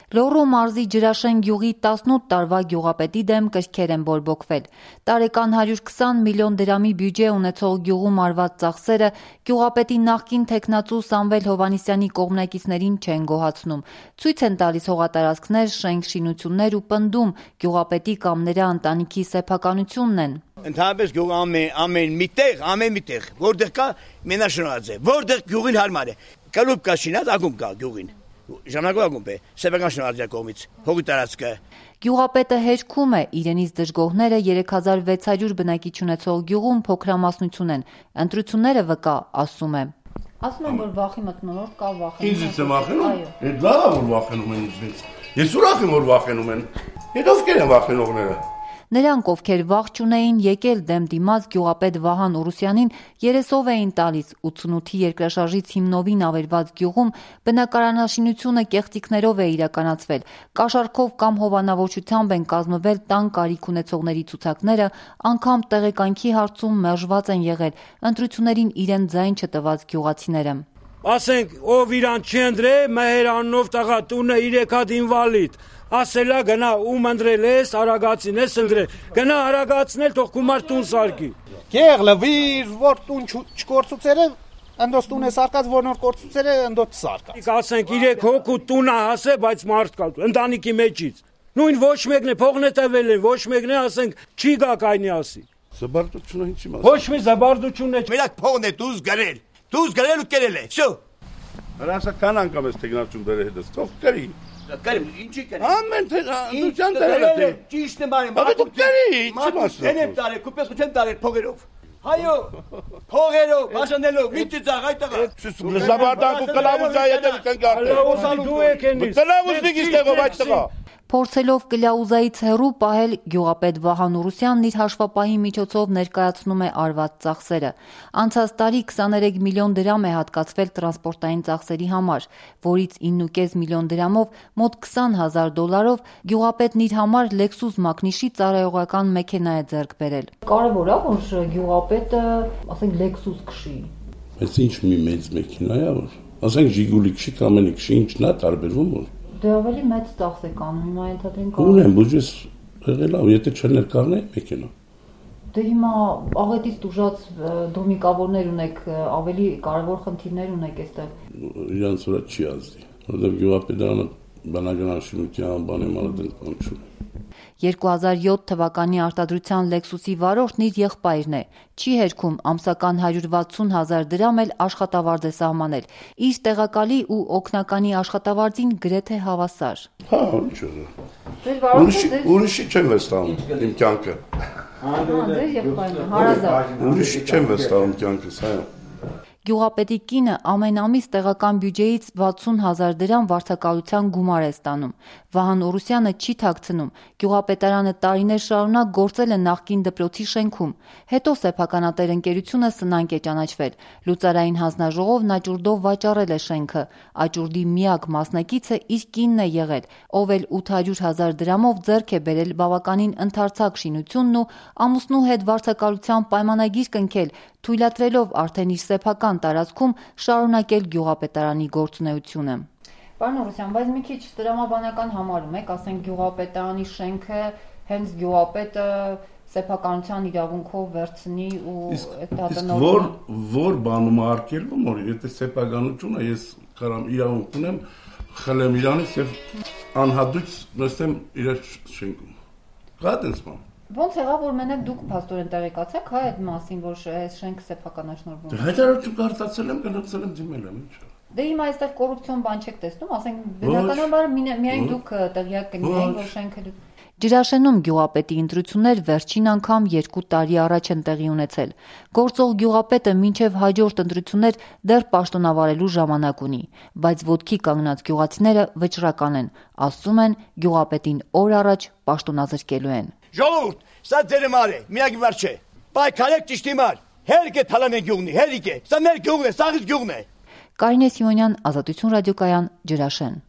Լոռու մարզի Ջրաշեն գյուղի 18 տարվա գյուղապետի դեմ կրքեր են բորբոքվել։ Տարեկան 120 միլիոն դրամի բյուջե ունեցող գյուղում արված ծախսերը գյուղապետի նախկին թեկնածու Սամվել Հովհաննիսյանի կողմնակիցներին չեն գոհացնում։ Ցույց են տալիս հողատարածքներ, շենք-շինություններ ու պնդում գյուղապետի կամ նրա ընտանիքի սեփականությունն են։ Ընդհանրապես գյուղը ամեն մի տեղ, որտեղ կա մենաշնորհած է, որտեղ գյուղին հարմար է։ Կլուբ կա շինած, ակումբ կա գյուղին։ Ժամանակով ակումբ է, սեփական շնորհածի կողմից, հողի տարածքը։ Գյուղապետը հերքում է, իրենից դժգոհները 3600 բնակիչ ունեցող գյուղում փոքրամասնություն են։ Ընտրությունները վկա, ասում է։ Ասում են, որ վախի մթնոլորտ կա, վախենում։ Ինձ եմ վախենում։ Այդ լավ է, որ վախենում են ինձնից։ Ես ուրախ եմ, որ վախենում են։ Այդ ովքեր են վախենողները։ Նրանք, ովքեր վախ չունեին եկել դեմ դիմաց գյուղապետ Վահան Ուրուսյանին, երեսով էին տալիս 88-ի երկրաշարժից հիմնովին ավերված գյուղում բնակարանաշինությունը կեղծիքներով է իրականացվել, կաշառքով կամ հովանավորչությամբ են կազմվել տան կարիք ունեցողների ցուցակները, անգամ տեղեկանքի հարցում մերժված են եղել ընտրություններին իրեն ձայն չտված գյուղացիները։ Ասենք, ով իրան չընտրե, մհեր աննով տղա տունը 3 հատ ինվալիդ, ասելա գնա ում ընտրել ես, արագացին ես ընտրել, գնա արագացնել, թող գումար տուն սարքի։ Կեղլը վիր, որ տուն չկործուցերը, ընդոց տուն է սարկած, որ նոր կործուցերը, ընդոց սարկած։ Ասենք, 3 հոգու տունը հասե, բայց մարդ կա, ընտանիքի մեջից։ Նույն ոչ մեկն է, փողն է տվել են, ոչ մեկն է, ասենք, չի գա կայնի ասի։ Զբարդությունը ինչի մաս։ Ոչ մի զբարդություն է։ Մենակ փողն է դուզ գրել։ Դուզ գրել ու կերել է, շո։ Հրաշա կան անգամ ես տեգնացում դերը հետս, թող կրի։ Կերեմ, ինչի կերեմ։ Ամեն դուչան դերը թե։ Ճիշտ է բարի։ Բայց դու կրի, ինչի մաս։ Ենեմ տարել, կուպես չեն տարել փողերով։ Հայո, փողերով, բաժանելով, ինչի ծաղ այդտեղը։ Զաբարդանք ու կլավուզա եթե կնգարտել։ Կլավուզան դու եք ենից։ Կլավուզնիկ իստեղով այդտեղա։ Փորձելով կլաուզայից հեռու պահել գյուղապետ Վահան Ուրուսյանն իր հաշվապահի միջոցով ներկայացնում է արված ծախսերը։ Անցած տարի 23 միլիոն դրամ է հատկացվել տրանսպորտային ծախսերի համար, որից 9.5 միլիոն դրամով մոտ $20,000 գյուղապետն իր համար Lexus մակնիշի ծառայողական մեքենա է ձեռք բերել։ Կարևոր է, որ գյուղապետը, ասենք, Lexus քշի։ Բայց ինչ մի մեծ մեքենա է, որ ասենք Ժիգուլի քշի կամ էլի քշի, ինչն է տարբերվում որ։ Դե ավելի մեծ ծախս է կանում, հիմա ենթադրենք կա։ Ունեմ, բյուջես եղել է, եթե չներկառնեի մեքենա։ Դե հիմա աղետից տուժած դոմիկավորներ ունեք, ավելի կարևոր խնդիրներ ունեք այստեղ։ Իրանց վրա չի ազդի, որովհետև գյուղապետարանը բնականաշինության բանեմանը դեն չունի։ 2007 թվականի արտադրության Lexus-ի վարորդն իր եղբայրն է։ Չի հերքում ամսական 160,000 դրամ էլ աշխատավարձ է սահմանել։ Իր տեղակալի ու օգնականի աշխատավարձին գրեթե հավասար։ Հա, ինչ է։ Ուրիշի չեմ վստահում իմ կյանքը։ Ձեր եղբայրն հարազատ։ Ուրիշի չեմ վստահում կյանքս, այո։ Գյուղապետի կինը ամեն ամիս տեղական բյուջեից 60,000 դրամ վարձակալության գումար է ստանում։ Վահան Ուրուսյանը չի թաքցնում։ Գյուղապետարանը տարիներ շարունակ գործել է նախկին դպրոցի շենքում։ Հետո սեփականատեր ընկերությունը սնանկ է ճանաչվել։ Լուծարային հանձնաժողովն աճուրդով վաճառել է շենքը։ Աճուրդի միակ մասնակիցը իր կինն է եղել, ով էլ 800,000 դրամով ձեռք է բերել բավականին ընդարձակ շինությունն ու ամուսնու հետ վարձակալության պայմանագիր կնքել, թույլատրելով արդեն իր սեփական տարածքում շարունակել գյուղապետարանի գործունեությունը։ Պարոն Ուրուսյան, բայց մի քիչ տրամաբանական համարում եք, ասենք գյուղապետարանի շենքը հենց գյուղապետը սեփականության իրավունքով վերցնի ու այդ հատանորը որ բանում է արկելվում, որ եթե սեփականությունը ես կարամ իրավունք ունեմ, խլեմ իրանից եւ անհատույց նստեմ իր շենքում։ Կա դες բան։ Ոնց եղավ, որ մենակ դուք փաստորեն տեղեկացաք, հա, այդ մասին, որ այս շենքը սեփականաշնորհվում է։ Հայտարարություն կարտացել եմ, գնացել եմ դիմել եմ, ինչ։ Դե հիմա այստեղ կոռուպցիոն բան չեք տեսնում, ասենք բնականաբար միայն դուք տեղյակ կլինեիք, որ շենքը Ջրաշենում գյուղապետի ընտրություններ վերջին անգամ 2 տարի առաջ են տեղի ունեցել։ Գործող գյուղապետը մինչև հաջորդ ընտրություններ դեռ պաշտոնավարելու ժամանակ ունի, բայց ոտքի կանգնած գյուղացիները վճռական են, ասում են գյուղապետին օր առաջ պաշտոնազրկելու են։ Ժողովուրդ, սա ձեր մար է, միակ բար չէ։ Պայքարեք ճիշտի մար։ Հերիք է թալանեն գյուղնի, հերիք է։ Սա մեր գյուղն է, սաղից գյուղն է։ Կարինե Սիմոնյան, Ազատություն ռադիոկայան, Ջրաշեն։